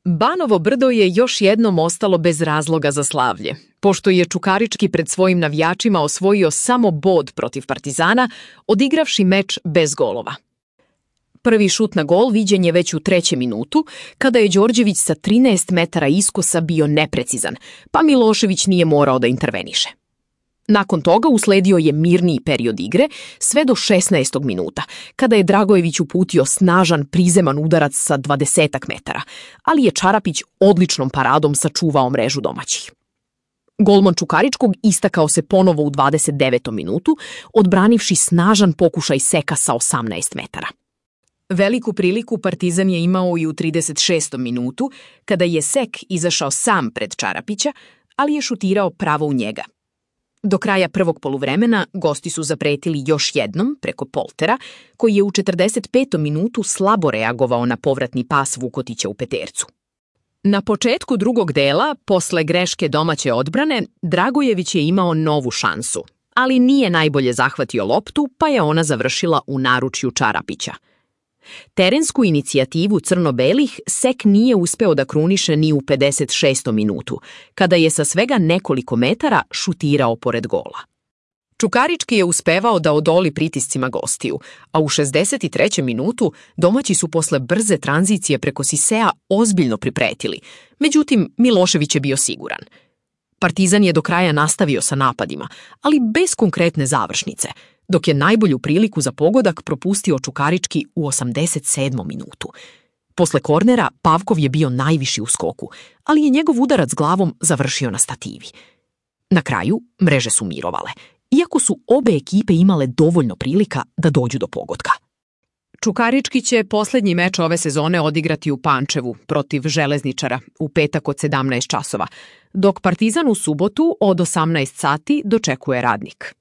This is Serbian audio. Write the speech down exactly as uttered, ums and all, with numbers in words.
Banovo Brdo je još jednom ostalo bez razloga za slavlje, pošto je Čukarički pred svojim navijačima osvojio samo bod protiv Partizana, odigravši meč bez golova. Prvi šut na gol viđen je već u trećem minutu, kada je Đorđević sa trinaest metara iskosa bio neprecizan, pa Milošević nije morao da interveniše. Nakon toga usledio je mirniji period igre, sve do šesnaestog minuta, kada je Dragojević uputio snažan prizeman udarac sa dvadesetak metara, ali je Čarapić odličnom paradom sačuvao mrežu domaćih. Golman Čukaričkog istakao se ponovo u dvadeset devetom minutu, odbranivši snažan pokušaj seka sa osamnaest metara. Veliku priliku Partizan je imao i u trideset šestom minutu, kada je Sek izašao sam pred Čarapića, ali je šutirao pravo u njega. Do kraja prvog poluvremena gosti su zapretili još jednom preko Poltera, koji je u četrdeset petom minutu slabo reagovao na povratni pas Vukotića u petercu. Na početku drugog dela, posle greške domaće odbrane, Dragojević je imao novu šansu, ali nije najbolje zahvatio loptu, pa je ona završila u naručju Čarapića. Terensku inicijativu crno-belih Sek nije uspeo da kruniše ni u pedeset šestom minutu, kada je sa svega nekoliko metara šutirao pored gola. Čukarički je uspevao da odoli pritiscima gostiju, a u šezdeset trećem minutu domaći su posle brze tranzicije preko Sisea ozbiljno pripretili, međutim Milošević je bio siguran. Partizan je do kraja nastavio sa napadima, ali bez konkretne završnice, dok je najbolju priliku za pogodak propustio Čukarički u osamdeset sedmom minutu. Posle kornera Pavkov je bio najviši u skoku, ali je njegov udarac glavom završio na stativi. Na kraju mreže su mirovale, iako su obe ekipe imale dovoljno prilika da dođu do pogotka. Čukarički će posljednji meč ove sezone odigrati u Pančevu protiv Železničara u petak od sedamnaest časova, dok Partizan u subotu od osamnaest sati dočekuje Radnik.